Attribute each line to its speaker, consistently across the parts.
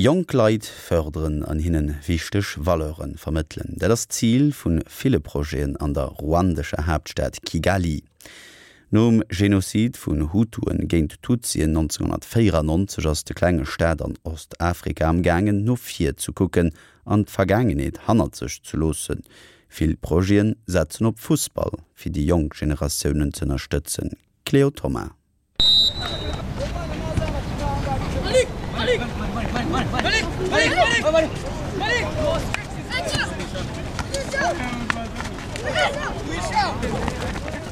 Speaker 1: Jonk Leit fërderen an hinne wichteg Valeure vermëttelen, dat ass d'Zil vu ville Projeten an der ruandescher Haaptstad Kigali. Nom Genozid vun Hutuen géint Tutsien 1994 ass de klenge Staat an Ostafrika am gaangen no vir ze kucken an d'Vergaangenheet hannert sech ze loossen. Vill Projete setzen op Fussball fir déi jonk Generatiounen z'ënnerstëtzen. Cléo Thoma.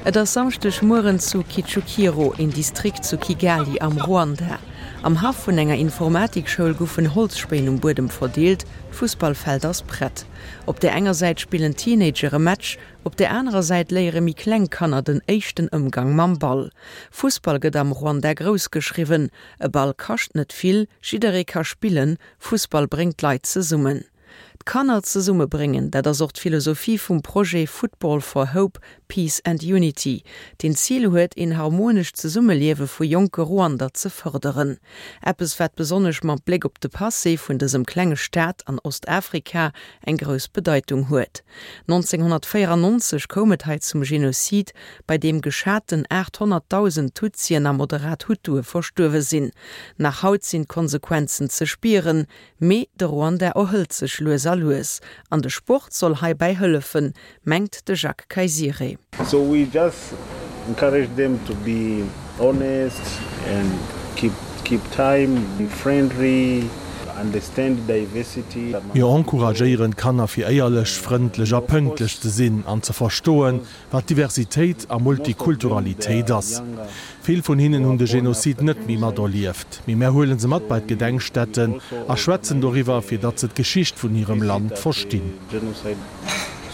Speaker 2: Et ass Samschdeg Mueren zu Kicukiro, een Distrikt zu Kigali am Ruanda. Am Haff vun enger Informatikschoul goufen Holzspéin um Buedem verdeelt, d'Fussballfeld ass prett. Op där enger Säit spillen Teenager e Match, Op der anerer Säit léiere méi kleng Kanner den éischten Ëmgang mam Ball. Fussball gëtt am Ruanda grouss geschriwwen. E Ball kascht net vill, jidderee ka spillen, Fussball bréngt d'Leit zesummen. D'Kanner zesummebréngen, dat ass och d'Philosophie vum Projet Football for Hope, Peace and Unity, deen d'Zil huet, een harmonescht Zesummeliewe vu jonke Ruander ze fërderen. Eppes, wat besonnesch mam Bléck op de Passé vun dësem klenge Staat an Ostafrika eng grouss Bedeitung huet. 1994 koum et hei zum Genozid, bei deem geschaten 800.000 Tutsien a moderat Hutue verstuerwe sinn. Nach haut sinn d'Konsequenzen ze spieren, mee de Ruanda erhëlt sech lues a lues. An de Sport soll heibäi hëllefen, mengt de Jacques Kaisire.
Speaker 3: So we just encourage them to be honest and keep keep time, be friendly, understand diversity.
Speaker 4: Mir encouragéieren d'Kanner fir éierlech, frëndlech a pënktlech ze sinn an ze verstoen, wat Diversitéit a Multikulturalitéit ass. Vill vun hinnen hunn de Genozid net méi materlieft, mee mär huele se mat bei d'Gedenkstätten a schwätzen doriwwer, fir datt se d'Geschicht vun hirem Land verstinn.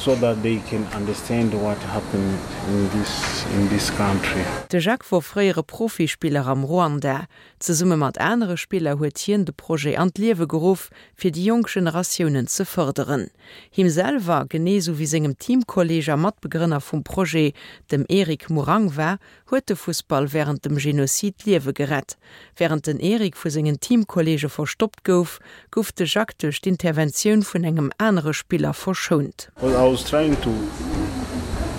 Speaker 3: So that they can understand what happened in this in this country.
Speaker 2: De Jacques wor fréiere Profispiller am Ruanda. Zesumme mat anere Spiller huet hien de Projet an d'Liewe geruff, fir déi jonk Generatiounen ze fërderen. Him selwer, genee sou wéi sengem Teamkolleeg a Matbegrënner vum Projet, dem Eric Murangwa, huet de Fussball wärend dem Genozid d'Liewe gerett. Wärend den Eric vu sengen Teamkolleege verstoppt gouf, gouf de Jacques duerch d'Interventioun vun engem anere Spiller verschount.
Speaker 3: Well I was trying to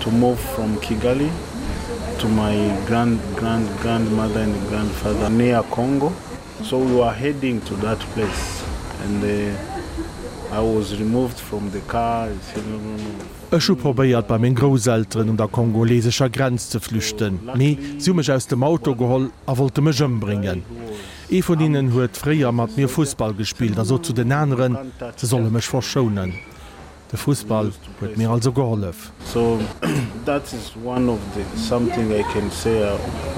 Speaker 3: to move from Kigali to my grand grand grandmother and grandfather near Congo so we were heading to that place and I was removed from the car, he said no no no.
Speaker 4: Ech hu probéiert bei meng Grousselteren un der kongolesescher Grenz ze flüchten, mee si hu mech aus dem Auto geholl a wollte mech ëmbréngen. Ee vun hinnen huet fréier mat mir Fussball gespillt a sot zu den aneren, se solle mech verschounen. De Fussball huet mir also gehollef.
Speaker 3: So that is one of the something I can say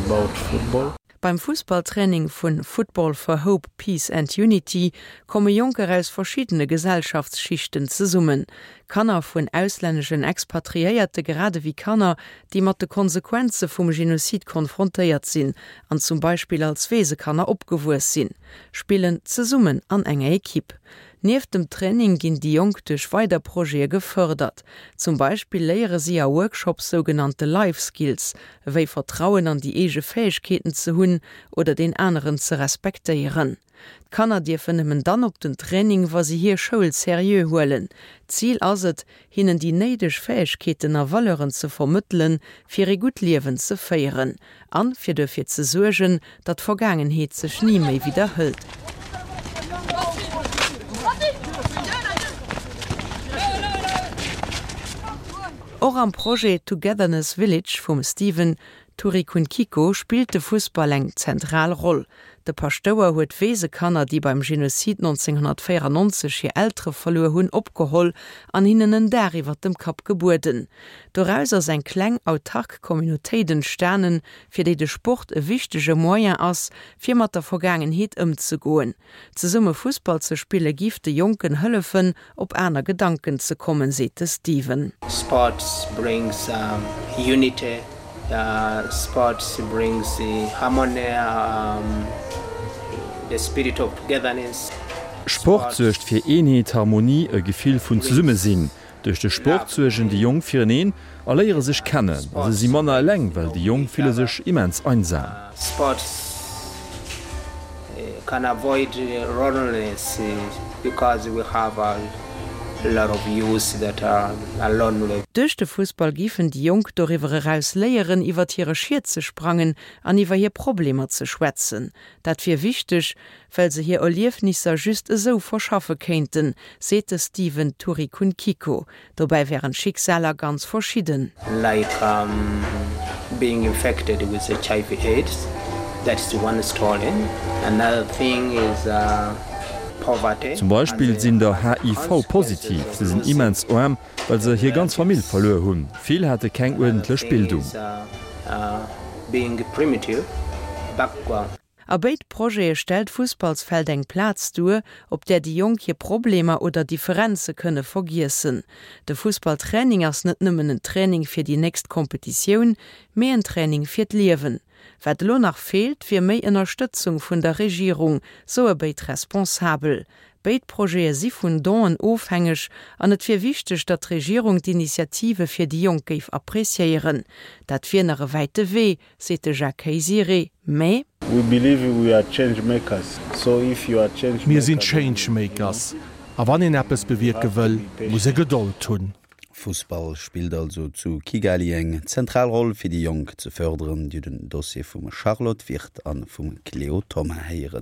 Speaker 3: about football.
Speaker 2: Beim Fussballtraining vun Football for Hope, Peace and Unity komme Jonker aus verschiddene Gesellschaftsschichten zesummen. Kanner vun auslänneschen Expatriéierte grad ewéi Kanner, déi mat de Konsequenze vum Genozid konfrontéiert sinn an zum Beispill als Weesekanner opgewuess sinn, spillen zesummen an enger Ekipp. Nieft dem Training ginn déi Jonk duerch weider Projete gefërdert. Zum Beispill léiere si a Workshops sougenannte Life Skills, ewéi Vertrauen an déi eege Fäegkeeten ze hunn oder deen aneren ze respektéieren. D'Kanner dierfen nëmmen dann op den Training, wa si hir Schoul seriö huelen. D'Zil ass et, hinnen déi néideg Fäegkeeten a Valeuren ze vermëttelen, fir ee gutt Liewen ze féieren an fir duerfir ze suergen, datt d'Vergaangenheet sech ni méi widderhëlt. Och am Projet Togetherness Village vum Steven Turikunkiko spillt de Fussball eng zentral Roll. De Paschtouer huet Weesekanner, déi beim Genozid 1994 hir Eltere verluer hunn, opgeholl an hinnen en Daach iwwer dem Kapp gebueden. Doraus ass eng kleng autark Communautéit entstanen, fir déi de Sport e wichtege Moyen ass, fir mat der Vergaangenheet ëmzegoen. Zesumme Fussball ze spille giff de Jonken hëllefen, op aner Gedanken ze kommen, seet de Steven.
Speaker 5: Sports brings unity, sports brings harmony, the spirit of togetherness.
Speaker 6: Sport suergt fir Eenheet, Harmonie, e Gefill vun Zesummesinn. Duerch de Sport suergen déi Jonk fireneen a léiere sech kennen. A se si manner eleng, well déi Jonk fille sech immens einsam.
Speaker 5: Sports. Can avoid loneliness because we have a lot of youths that are lonely.
Speaker 2: Duerch de Fussball géifen déi Jonk doriwwer eraus léieren, iwwert hire Schiet ze sprangen an iwwer hir Problemer ze schwätzen. Dat wier wichteg, well se hir Erliefnisser just esou verschaffe kéinten, seet de Steven Turikunkiko. Dobäi wären d'Schicksaler ganz verschidden.
Speaker 5: Like being infected with HIV AIDS, that's one story, another thing is poverty.
Speaker 6: Zum Beispill sinn der HIV-positiv, se sinn immens aarm, well se hir ganz Famill verluer hunn. Vill hate keng uerdentlech Bildung.
Speaker 5: Being primitive background.
Speaker 2: A béid Projete stellt d'Fussballsfeld eng Plaz duer, op där déi Jonk hir Problemer oder Differenze kënne vergiessen. De Fussballtraining ass net nëmmen en Training fir déi nächst Kompetitioun, mee en Training fir d'Liewen. Wat elo nach feelt, wier méi Ënnerstëtzung vun der Regierung, soe béid Responsabel. Béid Projete si vun Donen ofhängeg an et wier wichteg, datt d'Regierung d'Initiative fir déi Jonk géif appreciéieren. Dat wier nach e wäite Wee, seet de Jacques Kayisire, mä.
Speaker 3: We believe we are change makers, so if you are change
Speaker 4: Mir sinn maker then Change Makers, a wann een eppes bewierke wëll, muss e Gedold hunn.
Speaker 1: Fussball spillt also zu Kigali eng zentral Roll fir déi Jonk ze fërderen. Dir hutt den Dossier vum Charlotte Wirth a vum Cléo Thoma héieren.